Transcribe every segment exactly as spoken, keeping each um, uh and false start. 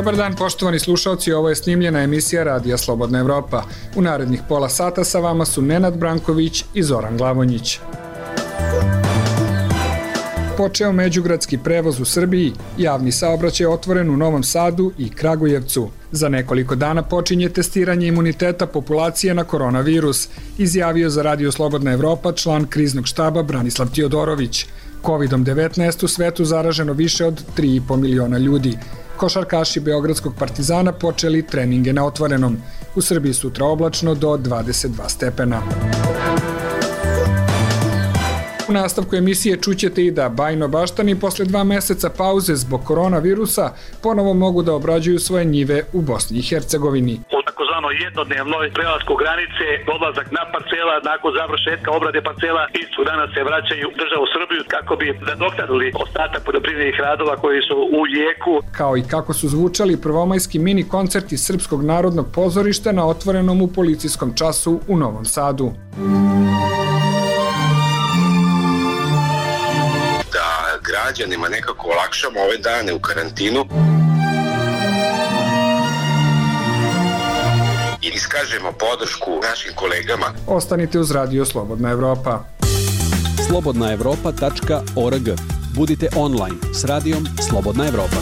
Dobar dan poštovani slušalci, ovo je snimljena emisija Radija Slobodna Evropa. U narednih pola sata sa vama su Nenad Branković i Zoran Glavonjić. Počeo međugradski prevoz u Srbiji, javni saobraćaj otvoren u Novom Sadu i Kragujevcu. Za nekoliko dana počinje testiranje imuniteta populacije na koronavirus, izjavio za Radio Slobodna Evropa član kriznog štaba Branislav Tiodorović. kovid devetnaest u svetu zaraženo više od tri i po miliona ljudi. Košarkaši Beogradskog Partizana počeli treninge na otvorenom. U Srbiji sutra oblačno do dvadeset dva stepena. U nastavku emisije čućete i da Bajno Baštani posle dva meseca pauze zbog koronavirusa ponovo mogu da obrađuju svoje njive u Bosni i Hercegovini. U takozvano jednodnevnoj prelasku granice, odlazak na parcela, nakon završetka obrade parcela, istog dana se vraćaju u državu Srbiju kako bi nadoknadili ostatak poljoprivrednih radova koji su u jeku. Kao i kako su zvučali prvomajski mini koncerti Srpskog narodnog pozorišta na otvorenom u policijskom času u Novom Sadu. Građanima nekako olakšamo ove dane u karantinu i iskažemo podršku našim kolegama. Ostanite uz Radio Slobodna Evropa. slobodna evropa tačka org. Budite online s Radijom Slobodna Evropa.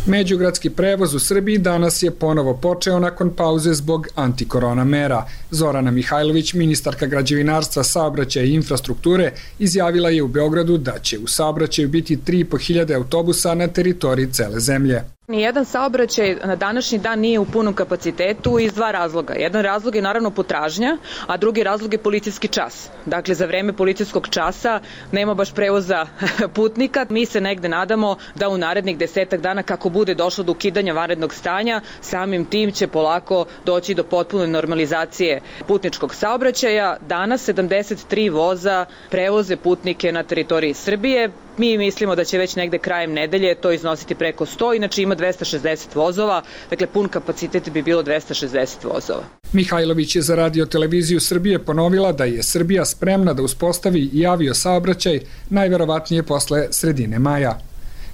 Međugradski prevoz u Srbiji danas je ponovo počeo nakon pauze zbog antikorona mera. Zorana Mihajlović, ministarka građevinarstva, saobraćaja i infrastrukture, izjavila je u Beogradu da će u saobraćaju biti tri i po hiljade autobusa na teritoriji cele zemlje. Nijedan saobraćaj na današnji dan nije u punom kapacitetu iz dva razloga. Jedan razlog je naravno potražnja, a drugi razlog je policijski čas. Dakle, za vreme policijskog časa nema baš prevoza putnika. Mi se negde nadamo da u narednih desetak dana, kako bude došlo do ukidanja vanrednog stanja, samim tim će polako doći do potpune normalizacije putničkog saobraćaja. Danas sedamdeset tri voza prevoze putnike na teritoriji Srbije. Mi mislimo da će već negde krajem nedelje to iznositi preko sto, inače ima dvesta šezdeset vozova, dakle pun kapacitet bi bilo dvesta šezdeset vozova. Mihajlović je za Radio Televiziju Srbije ponovila da je Srbija spremna da uspostavi i avio saobraćaj najverovatnije posle sredine maja.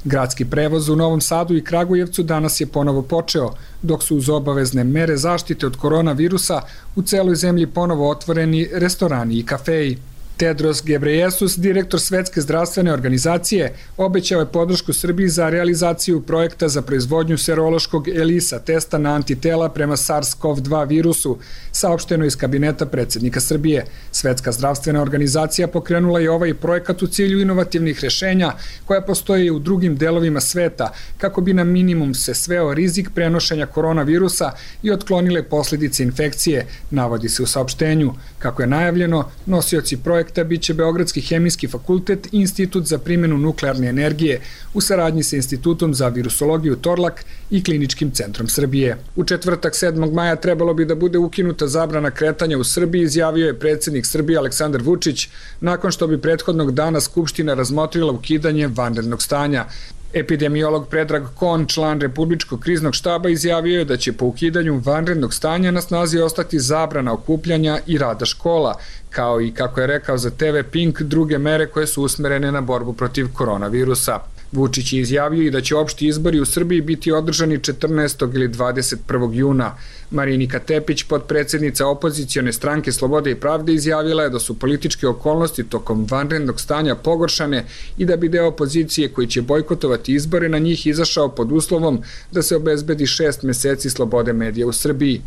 Gradski prevoz u Novom Sadu i Kragujevcu danas je ponovo počeo, dok su uz obavezne mere zaštite od koronavirusa u celoj zemlji ponovo otvoreni restorani i kafeji. Tedros Gebreyesus, direktor Svetske zdravstvene organizacije, obećao je podršku Srbiji za realizaciju projekta za proizvodnju serološkog ELISA testa na antitela prema SARS CoV dva virusu, saopšteno iz kabineta predsjednika Srbije. Svetska zdravstvena organizacija pokrenula je ovaj projekat u cilju inovativnih rešenja koja postoje u drugim delovima sveta kako bi na minimum se sveo rizik prenošenja koronavirusa i otklonile posljedice infekcije, navodi se u saopštenju. Kako je najavljeno, nosioci projekta biće Beogradski hemijski fakultet i Institut za primjenu nuklearne energije u saradnji sa Institutom za virusologiju Torlak i Kliničkim centrom Srbije. U četvrtak sedmog maja trebalo bi da bude ukinuta zabrana kretanja u Srbiji, izjavio je predsjednik Srbije Aleksandar Vučić, nakon što bi prethodnog dana Skupština razmotrila ukidanje vanrednog stanja. Epidemiolog Predrag Kon, član Republičkog kriznog štaba, izjavio je da će po ukidanju vanrednog stanja na snazi ostati zabrana okupljanja i rada škola, kao i, kako je rekao za te ve Pink, druge mere koje su usmerene na borbu protiv koronavirusa. Vučić je izjavio i da će opšti izbori u Srbiji biti održani četrnaestog ili dvadeset prvog juna. Marinika Tepić, potpredsjednica opozicione stranke Slobode i pravde, izjavila je da su političke okolnosti tokom vanrednog stanja pogoršane i da bi deo opozicije koji će bojkotovati izbore na njih izašao pod uslovom da se obezbedi šest meseci slobode medija u Srbiji.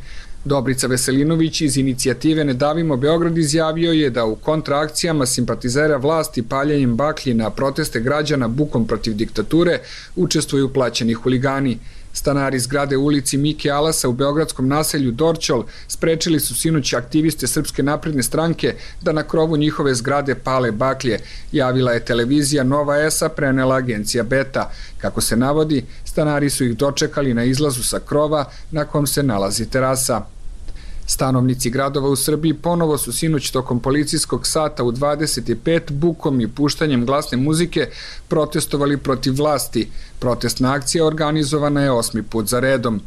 Dobrica Veselinović iz inicijative Ne davimo Beograd izjavio je da u kontraakcijama simpatizera vlasti paljenjem baklji na proteste građana bukom protiv diktature učestvuju plaćeni huligani. Stanari zgrade u ulici Mike Alasa u beogradskom naselju Dorćol sprečili su sinoć aktiviste Srpske napredne stranke da na krovu njihove zgrade pale baklje, javila je televizija Nova S, prenela agencija Beta. Kako se navodi, stanari su ih dočekali na izlazu sa krova na kom se nalazi terasa. Stanovnici gradova u Srbiji ponovo su sinoć tokom policijskog sata u dvadeset pet bukom i puštanjem glasne muzike protestovali protiv vlasti. Protestna akcija organizovana je osmi put za redom.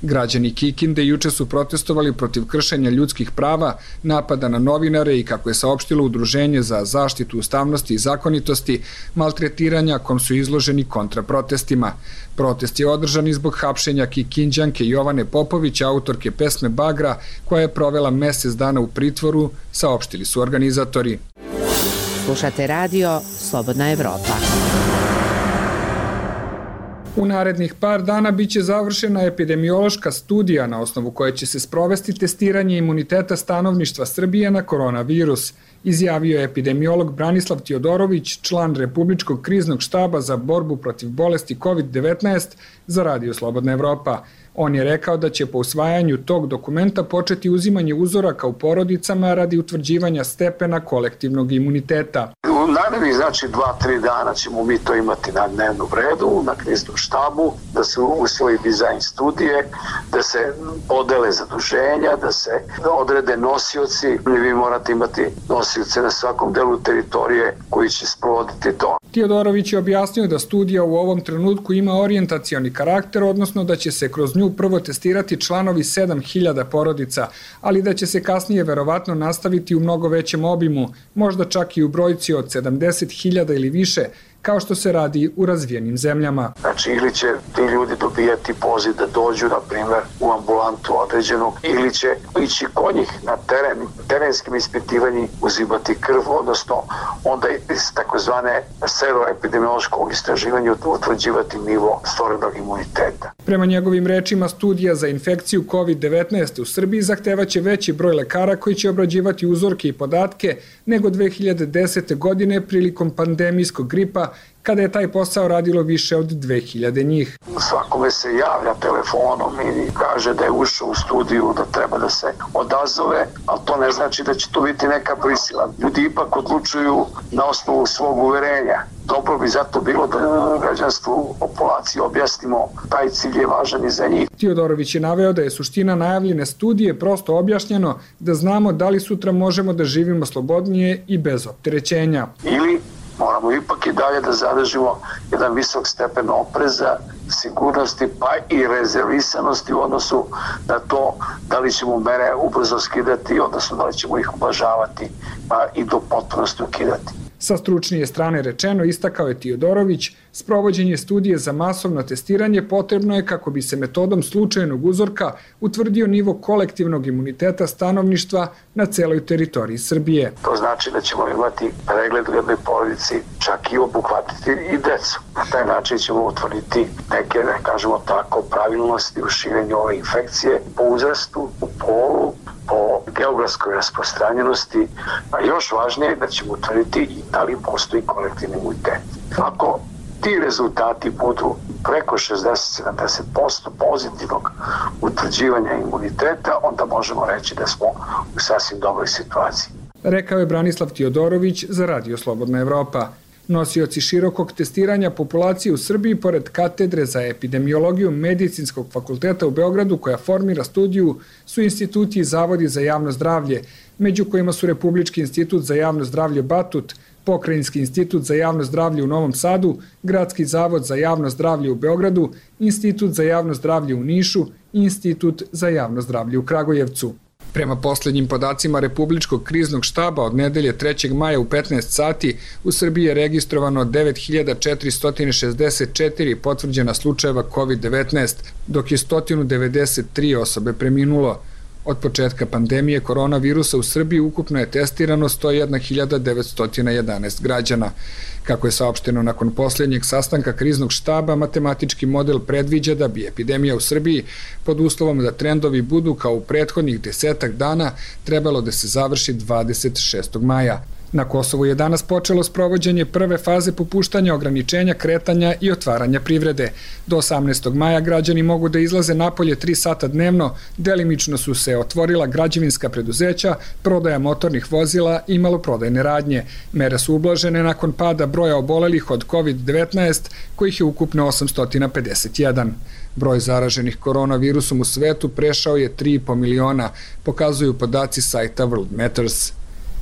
Građani Kikinde juče su protestovali protiv kršenja ljudskih prava, napada na novinare i, kako je saopštilo Udruženje za zaštitu ustavnosti i zakonitosti, maltretiranja kom su izloženi kontraprotestima. Protest je održan i zbog hapšenja Kikinđanke Jovane Popović, autorke pesme Bagra, koja je provela mesec dana u pritvoru, saopštili su organizatori. Slušate radio Slobodna Evropa. U narednih par dana biće završena epidemiološka studija na osnovu koje će se sprovesti testiranje imuniteta stanovništva Srbije na koronavirus, izjavio je epidemiolog Branislav Tiodorović, član Republičkog kriznog štaba za borbu protiv bolesti kovid devetnaest za Radio Slobodna Evropa. On je rekao da će po usvajanju tog dokumenta početi uzimanje uzoraka u porodicama radi utvrđivanja stepena kolektivnog imuniteta. U narednih, znači, dva, tri dana ćemo mi to imati na dnevnom redu, na kriznom štabu, da se usvoji dizajn studije, da se podele zaduženja, da se odrede nosioci. Vi morate imati nosioce na svakom delu teritorije koji će sprovoditi to. Tiodorović je objasnio da studija u ovom trenutku ima orijentacioni karakter, odnosno da će se kroz nju prvo testirati članovi sedam hiljada porodica, ali da će se kasnije verovatno nastaviti u mnogo većem obimu, možda čak i u brojci od sedamdeset hiljada ili više, kao što se radi u razvijenim zemljama. Znači, ili će ti ljudi dobijati poziv da dođu, na primjer, u ambulantu određenog, ili će ići kod njih na teren, terenskim ispitivanjem uzimati krv, odnosno onda iz takozvane seroepidemiološkog istraživanja utvrđivati nivo stvorenog imuniteta. Prema njegovim rečima, studija za infekciju kovid devetnaest u Srbiji zahtevaće veći broj lekara koji će obrađivati uzorke i podatke nego dve hiljade desete. godine prilikom pandemijskog gripa, kada je taj posao radilo više od dve hiljade njih. Svakome se javlja telefonom i kaže da je ušao u studiju, da treba da se odazove, ali to ne znači da će to biti neka prisila. Ljudi ipak odlučuju na osnovu svog uverenja. Dobro bi zato bilo da građanstvu, populaciji objasnimo taj cilj je važan i za njih. Tiodorović je naveo da je suština najavljene studije prosto objašnjeno da znamo da li sutra možemo da živimo slobodnije i bez opterećenja. Ili moramo ipak i dalje da zadržimo jedan visok stepen opreza, sigurnosti pa i rezervisanosti u odnosu na to da li ćemo mere ubrzo skidati, odnosno da li ćemo ih ublažavati pa i do potpunosti ukidati. Sa stručnije strane rečeno, istakao je Tiodorović, sprovođenje studije za masovno testiranje potrebno je kako bi se metodom slučajnog uzorka utvrdio nivo kolektivnog imuniteta stanovništva na celoj teritoriji Srbije. To znači da ćemo imati pregled u jednoj porodici, čak i obuhvatiti i decu. Na taj način ćemo utvrditi neke, ne kažemo tako, pravilnosti u širenju ove infekcije po uzrastu, po polu, po geografskoj rasprostranjenosti, a još važnije je da ćemo utvrditi i da li postoji kolektivni imunitet. Ako ti rezultati budu preko šezdeset do sedamdeset posto pozitivnog utvrđivanja imuniteta, onda možemo reći da smo u sasvim dobroj situaciji. Rekao je Branislav Tiodorović za Radio Slobodna Evropa. Nosioci širokog testiranja populacije u Srbiji, pored katedre za epidemiologiju Medicinskog fakulteta u Beogradu, koja formira studiju, su instituti i zavodi za javno zdravlje, među kojima su Republički institut za javno zdravlje Batut, Pokrajinski institut za javno zdravlje u Novom Sadu, Gradski zavod za javno zdravlje u Beogradu, Institut za javno zdravlje u Nišu i Institut za javno zdravlje u Kragujevcu. Prema poslednjim podacima Republičkog kriznog štaba od nedelje trećeg maja u petnaest sati u Srbiji je registrovano devet hiljada četiristo šezdeset četiri potvrđena slučajeva kovid devetnaest, dok je sto devedeset tri osobe preminulo. Od početka pandemije koronavirusa u Srbiji ukupno je testirano sto jedna hiljada devetsto jedanaest građana. Kako je saopšteno nakon posljednjeg sastanka kriznog štaba, matematički model predviđa da bi epidemija u Srbiji, pod uslovom da trendovi budu kao u prethodnih desetak dana, trebalo da se završi dvadeset šestog maja. Na Kosovu je danas počelo sprovođenje prve faze popuštanja ograničenja kretanja i otvaranja privrede. Do osamnaestog maja građani mogu da izlaze napolje tri sata dnevno, delimično su se otvorila građevinska preduzeća, prodaja motornih vozila i maloprodajne radnje. Mere su ublažene nakon pada broja obolelih od kovid devetnaest, kojih je ukupno osamsto pedeset jedan. Broj zaraženih koronavirusom u svetu prešao je tri i po miliona, pokazuju podaci sajta World Matters.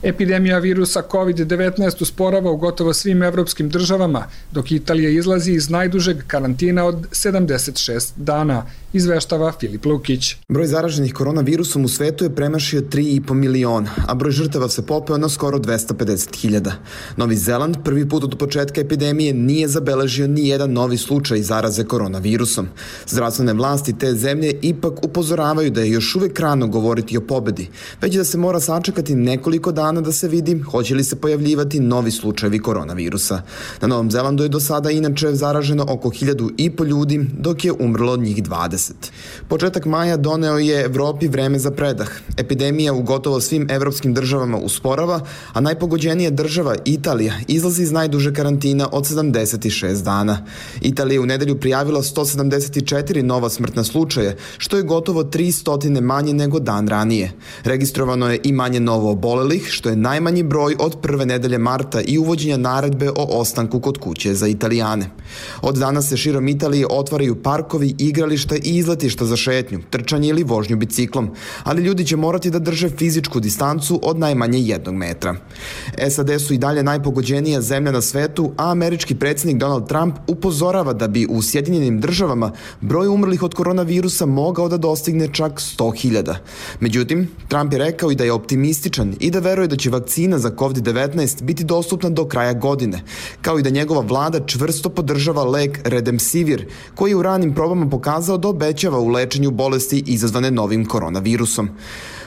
Epidemija virusa kovid devetnaest usporava u gotovo svim evropskim državama, dok Italija izlazi iz najdužeg karantina od sedamdeset šest dana. izveštava Filip Lukić. Broj zaraženih koronavirusom u svetu je premašio tri i po miliona, a broj žrtava se popeo na skoro dvesta pedeset hiljada. Novi Zeland prvi put od početka epidemije nije zabeležio ni jedan novi slučaj zaraze koronavirusom. Zdravstvene vlasti te zemlje ipak upozoravaju da je još uvek rano govoriti o pobedi, već da se mora sačekati nekoliko dana da se vidi hoće li se pojavljivati novi slučajevi koronavirusa. Na Novom Zelandu je do sada inače zaraženo oko hiljadu i po ljudi, dok je umrlo od njih dvadeset. Početak maja doneo je Evropi vreme za predah. Epidemija u gotovo svim evropskim državama usporava, a najpogođenija država, Italija, izlazi iz najduže karantina od sedamdeset šest dana. Italija je u nedelju prijavila sto sedamdeset četiri nova smrtna slučaja, što je gotovo tristo manje nego dan ranije. Registrovano je i manje novo obolelih, što je najmanji broj od prve nedelje marta i uvođenja naredbe o ostanku kod kuće za Italijane. Od danas se širom Italije otvaraju parkovi, igrališta i izletišta za šetnju, trčanje ili vožnju biciklom, ali ljudi će morati da drže fizičku distancu od najmanje jednog metra. S A D su i dalje najpogođenija zemlja na svetu, a američki predsjednik Donald Trump upozorava da bi u Sjedinjenim državama broj umrlih od koronavirusa mogao da dostigne čak sto hiljada. Međutim, Trump je rekao i da je optimističan i da veruje da će vakcina za kovid devetnaest biti dostupna do kraja godine, kao i da njegova vlada čvrsto podržava lek Remdesivir, koji je u ranim probama pokazao da obećava u lečenju bolesti izazvane novim koronavirusom.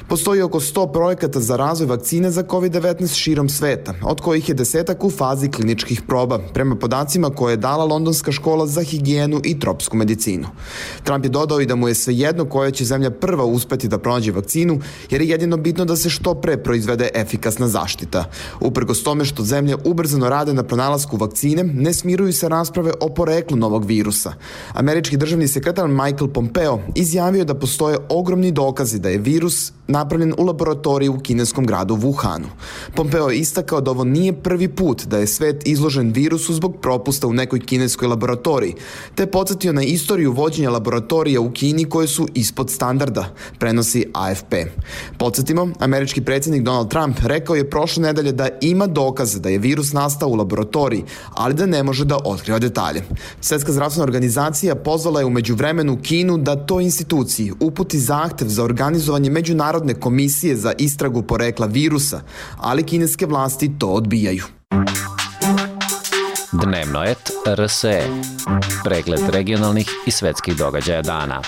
Postoji oko sto projekata za razvoj vakcine za kovid devetnaest širom sveta, od kojih je desetak u fazi kliničkih proba, prema podacima koje je dala Londonska škola za higijenu i tropsku medicinu. Trump je dodao i da mu je svejedno koja će zemlja prva uspeti da pronađe vakcinu, jer je jedino bitno da se što pre proizvede efikasna zaštita. Uprkos tome što zemlje ubrzano rade na pronalasku vakcine, ne smiruju se rasprave o poreklu novog virusa. Američki državni sekretar Michael Pompeo izjavio da postoje ogromni dokazi da je virus napravljen u laboratoriji u kineskom gradu Wuhanu. Pompeo je istakao da ovo nije prvi put da je svet izložen virusu zbog propusta u nekoj kineskoj laboratoriji, te podsjetio na istoriju vođenja laboratorija u Kini koje su ispod standarda, prenosi A F P. Podsjetimo, američki predsjednik Donald Trump rekao je prošle nedelje da ima dokaze da je virus nastao u laboratoriji, ali da ne može da otkriva detalje. Svetska zdravstvena organizacija pozvala je u međuvremenu Kinu da toj instituciji uputi zahtev za organizovanje međunarodne komisije za istragu porekla virusa, ali kineske vlasti to odbijaju. Dnevnoet R S E. Pregled regionalnih i svetskih događaja dana.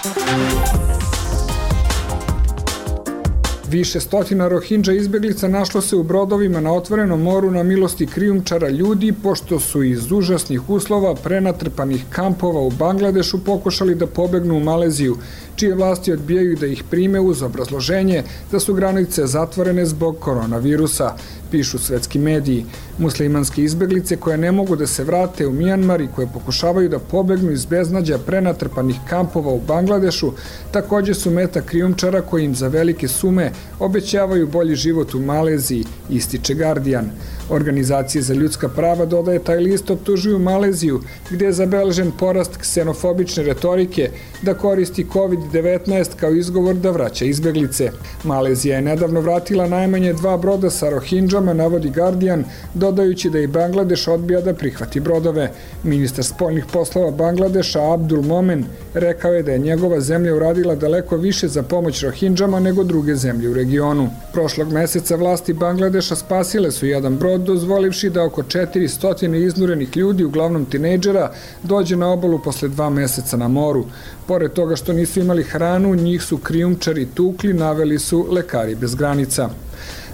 Više stotina Rohingya izbeglica našlo se u brodovima na otvorenom moru na milosti krijumčara ljudi, pošto su iz užasnih uslova prenatrpanih kampova u Bangladešu pokušali da pobegnu u Maleziju, čije vlasti odbijaju da ih prime uz obrazloženje da su granice zatvorene zbog koronavirusa, pišu svetski mediji. Muslimanske izbeglice koje ne mogu da se vrate u Mijanmar i koje pokušavaju da pobegnu iz beznađa prenatrpanih kampova u Bangladešu takođe su meta krijumčara koji im za velike sume obećavaju bolji život u Maleziji, ističe Guardian. Organizacije za ljudska prava, dodaje, taj list optužuju Maleziju, gde je zabeležen porast ksenofobične retorike da koristi kovid devetnaest kao izgovor da vraća izbeglice. Malezija je nedavno vratila najmanje dva broda sa Rohingjama, navodi Guardian, dodajući da i Bangladeš odbija da prihvati brodove. Ministar spoljnih poslova Bangladeša Abdul Momen rekao je da je njegova zemlja uradila daleko više za pomoć Rohingjama nego druge zemlje u regionu. Prošlog meseca vlasti Bangladeša spasile su jedan brod, dozvolivši da oko četiristo iznurenih ljudi, uglavnom tinejdžera, dođe na obalu posle dva meseca na moru. Pored toga što nisu imali hranu, njih su krijumčari tukli, naveli su Lekari bez granica.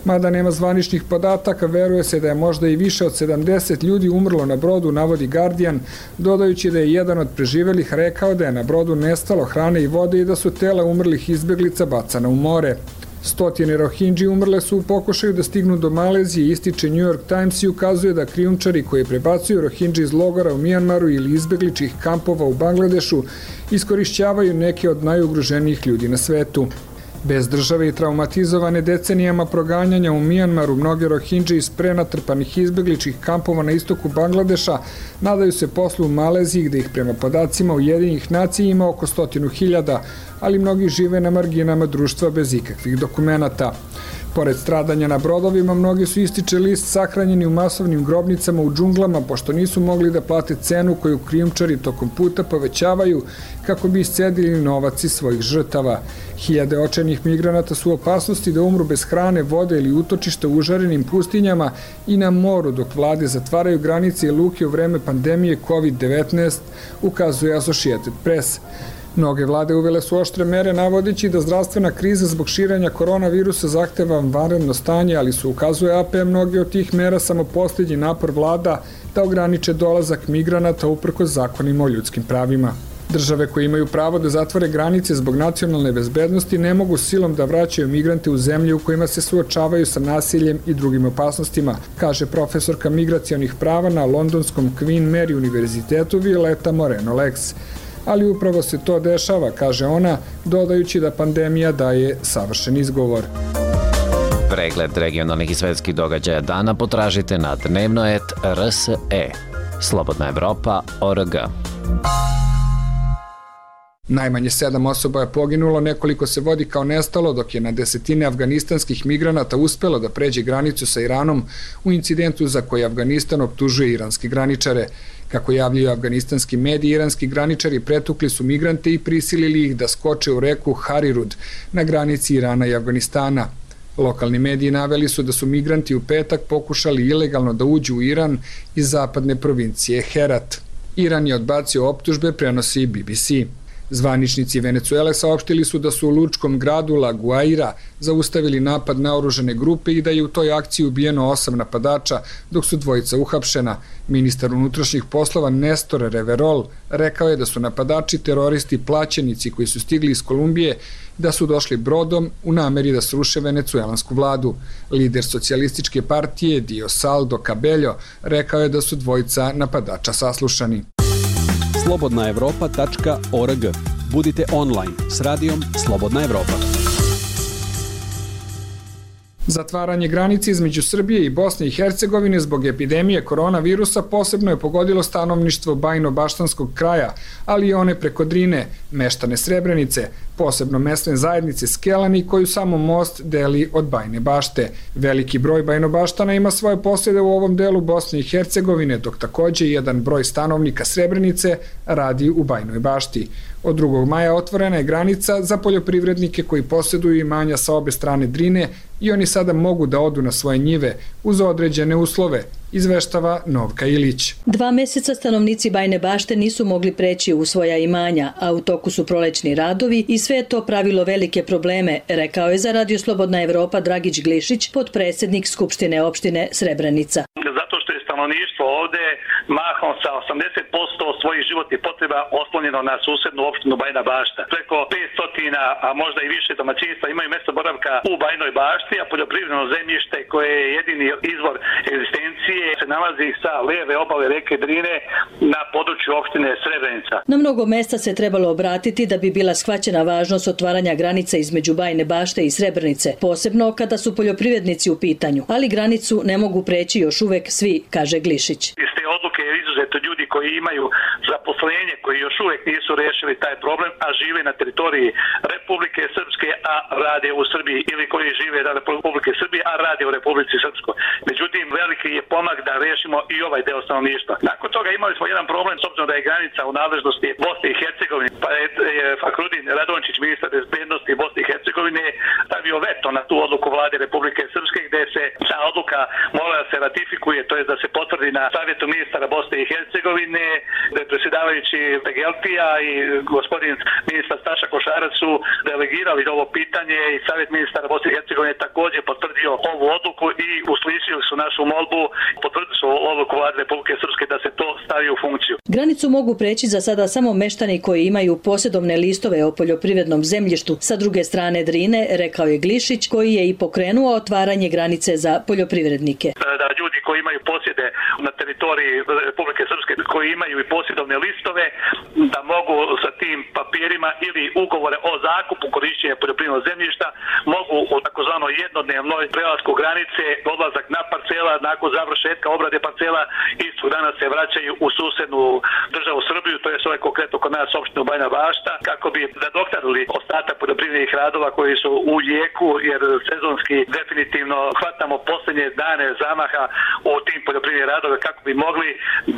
Mada nema zvaničnih podataka, veruje se da je možda i više od sedamdeset ljudi umrlo na brodu, navodi Guardian, dodajući da je jedan od preživelih rekao da je na brodu nestalo hrane i vode i da su tela umrlih izbeglica bacana u more. Stotine Rohingji umrle su u pokušaju da stignu do Malezije, ističe New York Times i ukazuje da krijumčari koji prebacuju Rohingji iz logora u Mijanmaru ili izbegličkih kampova u Bangladešu iskorišćavaju neke od najugroženijih ljudi na svetu. Bez države i traumatizovane decenijama proganjanja u Mijanmaru, mnoge Rohingje iz prenatrpanih izbegličkih kampova na istoku Bangladeša nadaju se poslu u Maleziji, gde ih prema podacima Ujedinjenih nacija ima oko stotinu hiljada, ali mnogi žive na marginama društva bez ikakvih dokumenata. Pored stradanja na brodovima, mnogi su, ističe list, sahranjeni u masovnim grobnicama u džunglama, pošto nisu mogli da plate cenu koju krijumčari tokom puta povećavaju kako bi iscedili novac iz svojih žrtava. Hiljade očajnih migranata su u opasnosti da umru bez hrane, vode ili utočišta u užarenim pustinjama i na moru, dok vlade zatvaraju granice i luke u vreme pandemije kovid devetnaest, ukazuje Associated Press. Mnoge vlade uvele su oštre mere navodeći da zdravstvena kriza zbog širenja koronavirusa zahteva vanredno stanje, ali su, ukazuje A P, mnoge od tih mera samo posljednji napor vlada da ograniče dolazak migranata uprkos zakonima o ljudskim pravima. Države koje imaju pravo da zatvore granice zbog nacionalne bezbednosti ne mogu silom da vraćaju migrante u zemlje u kojima se suočavaju sa nasiljem i drugim opasnostima, kaže profesorka migracionih prava na londonskom Queen Mary univerzitetu Violeta Moreno-Lex. Ali upravo se to dešava, kaže ona, dodajući da pandemija daje savršen izgovor. Pregled regionalnih i svetskih događaja dana potražite na dnevnoet R S E. Slobodna Evropa точка O R G. Najmanje sedam osoba je poginulo, nekoliko se vodi kao nestalo, dok je na desetine afganistanskih migranata uspelo da pređe granicu sa Iranom u incidentu za koji Afganistan optužuje iranske graničare. Kako javljaju afganistanski mediji, iranski graničari pretukli su migrante i prisilili ih da skoče u reku Harirud na granici Irana i Afganistana. Lokalni mediji naveli su da su migranti u petak pokušali ilegalno da uđu u Iran iz zapadne provincije Herat. Iran je odbacio optužbe, prenosi B B C. Zvaničnici Venecuele saopštili su da su u lučkom gradu La Guaira zaustavili napad na oružane grupe i da je u toj akciji ubijeno osam napadača, dok su dvojica uhapšena. Ministar unutrašnjih poslova Nestor Reverol rekao je da su napadači teroristi plaćenici koji su stigli iz Kolumbije, da su došli brodom u nameri da sruše venecuelansku vladu. Lider socijalističke partije Diosaldo Cabello rekao je da su dvojica napadača saslušani. slobodna evropa tačka O R G. Budite online s radijom Slobodna Evropa. Zatvaranje granice između Srbije i Bosne i Hercegovine zbog epidemije koronavirusa posebno je pogodilo stanovništvo Bajno-Baštanskog kraja, ali i one preko Drine, meštane Srebrenice, posebno mesne zajednice Skelani koju samo most deli od Bajne Bašte. Veliki broj Bajnobaštana ima svoje posjede u ovom delu Bosne i Hercegovine, dok takođe jedan broj stanovnika Srebrenice radi u Bajnoj Bašti. Od drugog maja otvorena je granica za poljoprivrednike koji posjeduju imanja sa obe strane Drine i oni sada mogu da odu na svoje njive uz određene uslove, izveštava Novka Ilić. Dva meseca stanovnici Bajne Bašte nisu mogli preći u svoja imanja, a u toku su prolećni radovi i sve je to pravilo velike probleme, rekao je za Radio Slobodna Evropa Dragić Glišić, potpredsjednik Skupštine opštine Srebrenica. Zato što je stanovništvo ovde mahom sa osamdeset posto svojih životnih potreba oslonjeno na susednu opštinu Bajna Bašta. Preko petsto, a možda i više domaćinstva imaju mjesto boravka u Bajnoj Bašti, a poljoprivredno zemljište koje je jedini izvor egzistencije se nalazi sa leve obale reke Drine na području opštine Srebrenica. Na mnogo mesta se trebalo obratiti da bi bila shvaćena važnost otvaranja granice između Bajne Bašte i Srebrenice, posebno kada su poljoprivrednici u pitanju, ali granicu ne mogu preći još uvek svi, kaže Glišić. Iz te odluke je izuzeto ljudi koji imaju zaposlenje, koji još uvek nisu rešili taj problem, a žive na teritoriji Republike Srpske, a rade u Srbiji, ili koji žive na Republike Srbije, a rade u Republici Srpskoj. Međutim, veliki je pomak da rešimo i ovaj deo stanovništva. Nakon toga imali smo jedan problem, s obzirom da je granica u nadležnosti Bosne i Hercegovine, pa je Fakrudin Radončić, ministar bezbednosti Bosne i Hercegovine, stavio veto na tu odluku vlade Republike Srpske, gde se ta odluka mora da se ratifikuje, to je da se potvrdi na savjetu ministara Bosne i Hercegovine, da je predsjedavajući Pegeltija i gospodin ministar Staša Košarac su delegirali ovo pitanje i savjet ministara Bosne i Hercegovine također potvrdio ovu odluku i uslišili su našu molbu, potvrdili su odluku vlade Republike Srpske da se to stavi u funkciju. Granicu mogu preći za sada samo meštani koji imaju posjedovne listove o poljoprivrednom zemljištu sa druge strane Drine, rekao je Glišić, koji je i pokrenuo otvaranje granice za poljoprivrednike. Da ljudi koji imaju posjede na teritoriji Republike Srpske koji imaju i posjedovne listove da mogu sa tim papirima ili ugovore o zakupu korišćenja poljoprivrednog zemljišta mogu u takozvanoj jednodnevnoj prelasku granice, odlazak na parcela, nakon završetka obrade parcela istog dana se vraćaju u susednu državu Srbiju, to je sve konkretno kod nas opštinu Bajina Bašta, kako bi nadoknadili ostatak poljoprivrednih radova koji su u jeku, jer sezonski definitivno hvatamo posljednje dane zamaha u tim poljoprivrednim radove kako bi mogli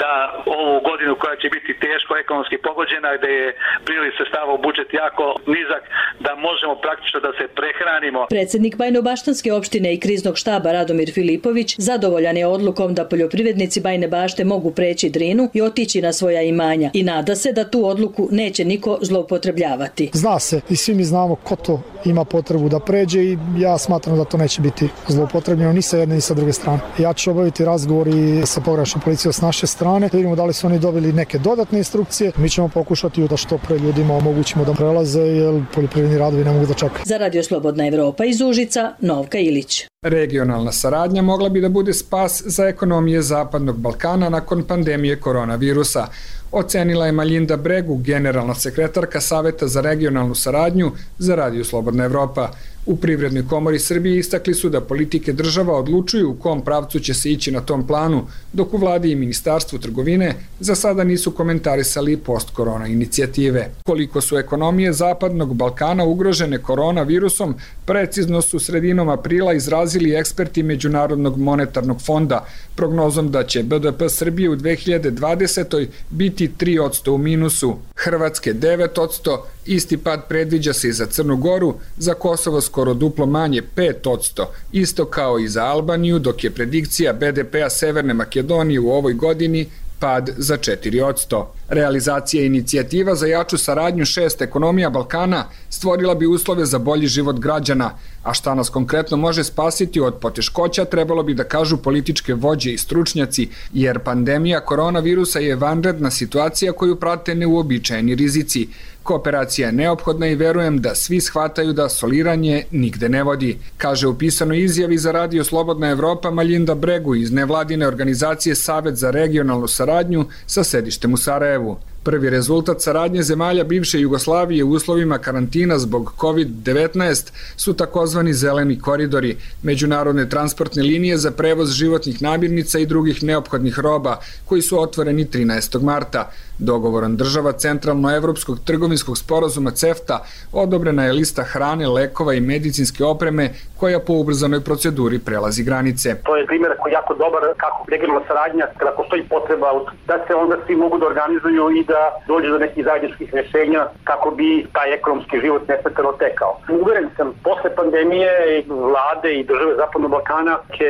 da ovu godinu koja će biti teško ekonomski pogođena, gde je priliv sredstava u budžet jako nizak, da možemo praktično da se prehranimo. Predsednik Bajnobaštanske opštine i kriznog štaba Radomir Filipović zadovoljan je odlukom da poljoprivrednici Bajne Bašte mogu preći Drinu i otići na svoja imanja i nada se da tu odluku neće niko zloupotrebljavati. Zna se i svi mi znamo ko to ima potrebu da pređe i ja smatram da to neće biti zloupotrebljeno ni sa jedne ni sa druge strane. Ja ću obaviti razgovor i sa pograničnom policijom s naše strane, da vidimo da li su oni dobili neke dodatne instrukcije. Mi ćemo pokušati da što pre ljudima omogućimo da prelaze, jer poljoprivredni radovi ne mogu da čekaju. Za Radio Slobodna Evropa iz Užica, Novka Ilić. Regionalna saradnja mogla bi da bude spas za ekonomije Zapadnog Balkana nakon pandemije koronavirusa, ocenila je Malinda Bregu, generalna sekretarka Saveta za regionalnu saradnju za Radio Slobodna Evropa. U Privrednoj komori Srbije istakli su da politike država odlučuju u kom pravcu će se ići na tom planu, dok u vladi i Ministarstvu trgovine za sada nisu komentarisali post-korona inicijative. Koliko su ekonomije Zapadnog Balkana ugrožene koronavirusom, precizno su sredinom aprila izrazili eksperti Međunarodnog monetarnog fonda, prognozom da će B D P Srbije u dve hiljade dvadesetoj biti tri posto u minusu, Hrvatske devet posto, isti pad predviđa se i za Crnu Goru, za Kosovo skoro duplo manje pet posto, isto kao i za Albaniju, dok je predikcija B D P-a Severne Makedonije u ovoj godini pad za četiri posto. Realizacija inicijativa za jaču saradnju šest ekonomija Balkana stvorila bi uslove za bolji život građana, a šta nas konkretno može spasiti od poteškoća trebalo bi da kažu političke vođe i stručnjaci, jer pandemija koronavirusa je vanredna situacija koju prate neuobičajeni rizici. Kooperacija je neophodna i verujem da svi shvataju da soliranje nigde ne vodi, kaže u pisanoj izjavi za Radio Slobodna Evropa Malinda Bregu iz nevladine organizacije Savet za regionalnu saradnju sa sedištem u Sarajevu. Prvi rezultat saradnje zemalja bivše Jugoslavije u uslovima karantina zbog kovid devetnaest su takozvani zeleni koridori, međunarodne transportne linije za prevoz životnih namirnica i drugih neophodnih roba, koji su otvoreni trinaestog marta. Dogovorom država Centralnoevropskog trgovinskog sporazuma CEFTA odobrena je lista hrane, lekova i medicinske opreme koja po ubrzanoj proceduri prelazi granice. To je primjer koji je jako dobar kako regionalna saradnja, kada postoji potreba da se onda svi mogu da organizuju i da dođe do nekih zajedničkih rješenja kako bi taj ekonomski život nesmetano tekao. Uveren sam, posle pandemije vlade i države Zapadnog Balkana će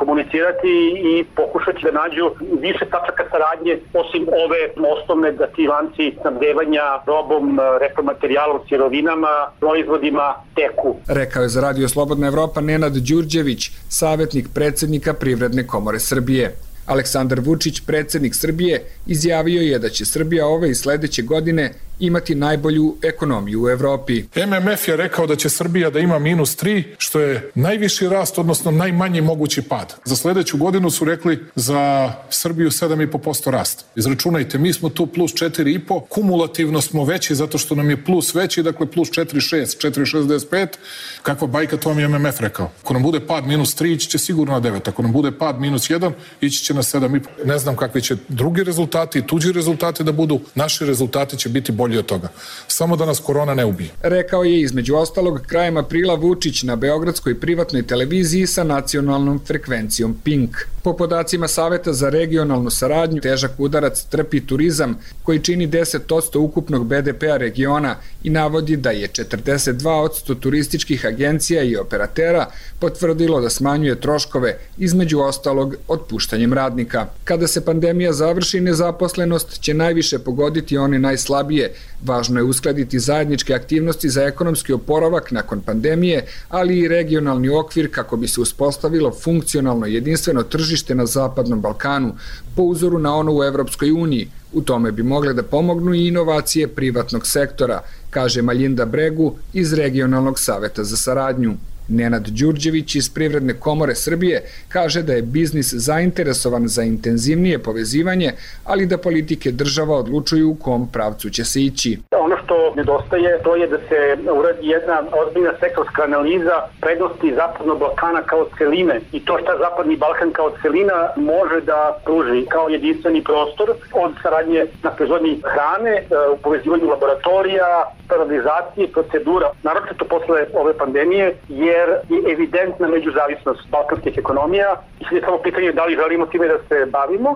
komunicirati i pokušati da nađu više tačaka saradnje osim ove osnovne da ti lanci snabdevanja robom, repromaterijalom, sirovinama, proizvodima teku. Rekao je za Radio Slobodna Evropa Nenad Đurđević, savjetnik predsednika Privredne komore Srbije. Aleksandar Vučić, predsednik Srbije, izjavio je da će Srbija ove i sledeće godine imati najbolju ekonomiju u Evropi. M M F je rekao da će Srbija da ima minus tri, što je najviši rast, odnosno najmanji mogući pad. Za sledeću godinu su rekli za Srbiju sedam i po posto rast. Izračunajte, mi smo tu plus četiri i po, kumulativno smo veći zato što nam je plus veći, dakle plus četiri šest, četiri šezdeset pet. Kakva bajka, to vam je M M F rekao. Ako nam bude pad minus tri, ići će sigurno na devet. Ako nam bude pad minus jedan, ići će na sedam i po. Ne znam kakvi će drugi rezultati i tuđi rezultati da budu. Naši rezultati će biti bolji od toga. Samo da nas korona ne ubije. Rekao je između ostalog krajem aprila Vučić na beogradskoj privatnoj televiziji sa nacionalnom frekvencijom Pink. Po podacima Saveta za regionalnu saradnju, težak udarac trpi turizam koji čini deset posto ukupnog B D P-a regiona i navodi da je četrdeset dva posto turističkih agencija i operatera potvrdilo da smanjuje troškove, između ostalog otpuštanjem radnika. Kada se pandemija završi, nezaposlenost će najviše pogoditi one najslabije. Važno je uskladiti zajedničke aktivnosti za ekonomski oporavak nakon pandemije, ali i regionalni okvir kako bi se uspostavilo funkcionalno jedinstveno tržište na Zapadnom Balkanu, po uzoru na ono u Evropskoj uniji. U tome bi mogle da pomognu i inovacije privatnog sektora, kaže Malinda Bregu iz Regionalnog saveta za saradnju. Nenad Đurđević iz Privredne komore Srbije kaže da je biznis zainteresovan za intenzivnije povezivanje, ali da politike država odlučuju u kom pravcu će se ići. Ono što nedostaje to je da se uradi jedna ozbiljna sektorska analiza prednosti Zapadnog Balkana kao celine i to šta Zapadni Balkan kao celina može da pruži kao jedinstveni prostor od saradnje na proizvodnji hrane, u povezivanju laboratorija, standardizacije, procedura, naročito posle ove pandemije, jer je evidentna međuzavisnost balkanskih ekonomija i sve je samo pitanje da li želimo time da se bavimo.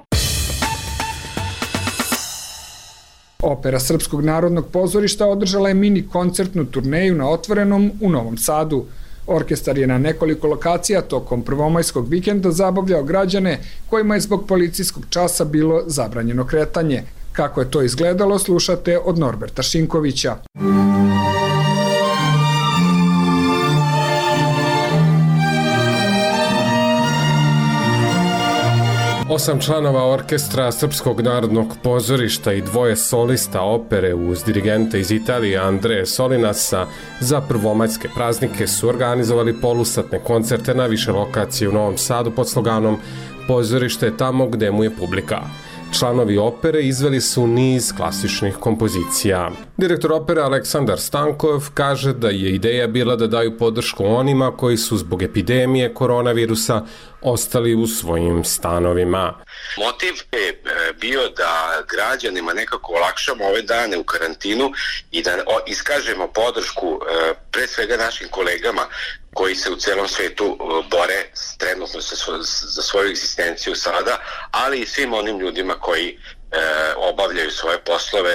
Opera Srpskog narodnog pozorišta održala je mini koncertnu turneju na Otvorenom u Novom Sadu. Orkestar je na nekoliko lokacija tokom prvomajskog vikenda zabavljao građane kojima je zbog policijskog časa bilo zabranjeno kretanje. Kako je to izgledalo, slušate od Norberta Šinkovića. Osam članova orkestra Srpskog narodnog pozorišta i dvoje solista opere uz dirigente iz Italije Andreje Solinasa za prvomajske praznike su organizovali polusatne koncerte na više lokacije u Novom Sadu pod sloganom "Pozorište je tamo gde mu je publika". Članovi opere izveli su niz klasičnih kompozicija. Direktor opere Aleksandar Stankov kaže da je ideja bila da daju podršku onima koji su zbog epidemije koronavirusa ostali u svojim stanovima. Motiv je bio da građanima nekako olakšamo ove dane u karantinu i da iskažemo podršku pre svega našim kolegama koji se u celom svetu bore trenutno za svoju egzistenciju sada, ali i svim onim ljudima koji obavljaju svoje poslove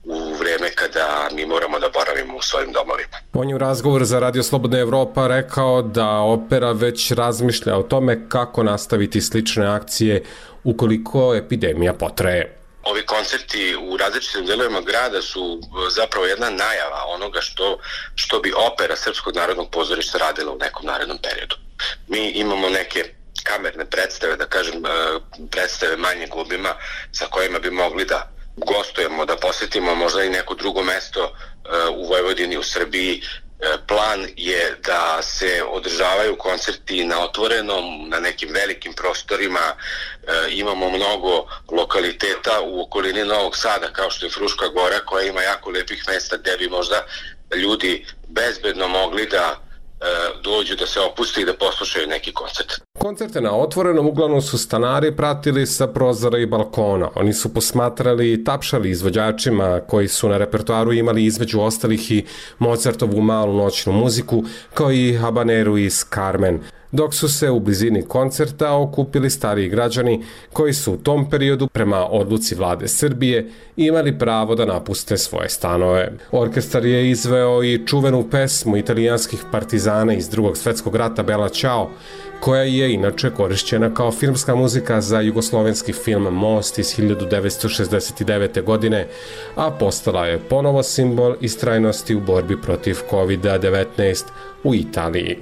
u vreme kada mi moramo da boravimo u svojim domovima. On je u razgovoru za Radio Slobodna Evropa rekao da opera već razmišlja o tome kako nastaviti slične akcije ukoliko epidemija potraje. Ovi koncerti u različitim delovima grada su zapravo jedna najava onoga što, što bi opera Srpskog narodnog pozorišta radila u nekom narednom periodu. Mi imamo neke kamerne predstave, da kažem predstave manjeg obima sa kojima bi mogli da gostujemo, da posjetimo možda i neko drugo mesto u Vojvodini, u Srbiji. Plan je da se održavaju koncerti na Otvorenom, na nekim velikim prostorima. Imamo mnogo lokaliteta u okolini Novog Sada, kao što je Fruška Gora, koja ima jako lepih mesta gde bi možda ljudi bezbedno mogli da dođu, da se opuste i da poslušaju neki koncert. Koncerte na Otvorenom uglavnom su stanari pratili sa prozora i balkona. Oni su posmatrali i tapšali izvođačima koji su na repertoaru imali između ostalih i Mozartovu malu noćnu muziku, kao i habaneru iz Carmen, dok su se u blizini koncerta okupili stariji građani koji su u tom periodu prema odluci vlade Srbije imali pravo da napuste svoje stanove. Orkestar je izveo i čuvenu pesmu italijanskih partizana iz Drugog svetskog rata Bella Ciao, koja je inače korišćena kao filmska muzika za jugoslovenski film Most iz hiljadu devetsto šezdeset devete. godine, a postala je ponovo simbol istrajnosti u borbi protiv kovid devetnaest u Italiji.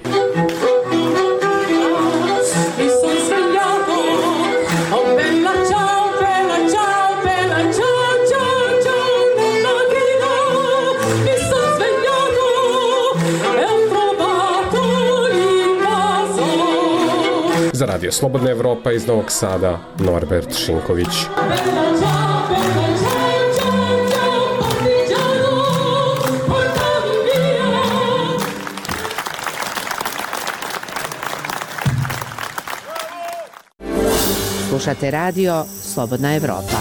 Za Radio Slobodna Evropa iz Novog Sada, Norbert Šinković. Slušate Radio Slobodna Evropa.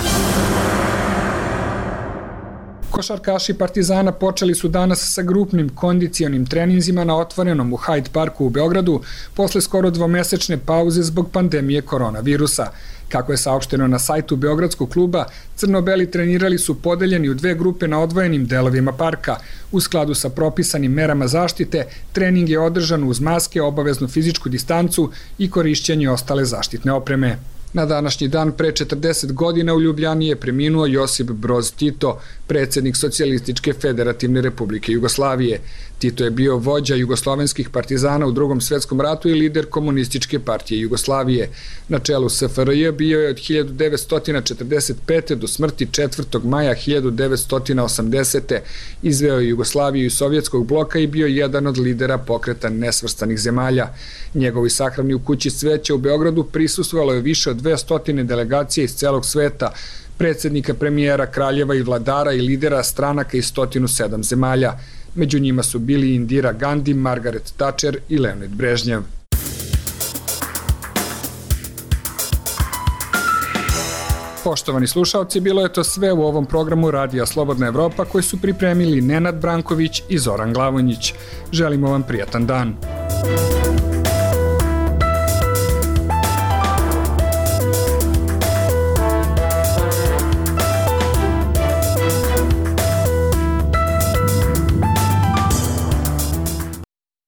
Košarkaši Partizana počeli su danas sa grupnim kondicionim treninzima na Otvorenom u Hyde Parku u Beogradu posle skoro dvomesečne pauze zbog pandemije koronavirusa. Kako je saopšteno na sajtu Beogradskog kluba, crno-beli trenirali su podeljeni u dve grupe na odvojenim delovima parka. U skladu sa propisanim merama zaštite, trening je održan uz maske, obaveznu fizičku distancu i korišćenje ostale zaštitne opreme. Na današnji dan pre četrdeset godina u Ljubljani je preminuo Josip Broz Tito, predsjednik Socijalističke federativne republike Jugoslavije. Tito je bio vođa jugoslovenskih partizana u Drugom svjetskom ratu i lider Komunističke partije Jugoslavije. Na čelu S F R J bio je od hiljadu devetsto četrdeset pete. do smrti četvrtog maja hiljadu devetsto osamdesete. Izveo je Jugoslaviju iz sovjetskog bloka i bio jedan od lidera pokreta nesvrstanih zemalja. Njegovi sahrani u kući cveća u Beogradu prisustvovalo je više od dvesta delegacija iz celog sveta, predsjednika, premijera, kraljeva i vladara i lidera stranaka iz sto sedam zemalja. Među njima su bili Indira Gandhi, Margaret Thatcher i Leonid Brežnjev. Poštovani slušalci, bilo je to sve u ovom programu Radija Slobodna Evropa koji su pripremili Nenad Branković i Zoran Glavonjić. Želimo vam prijatan dan.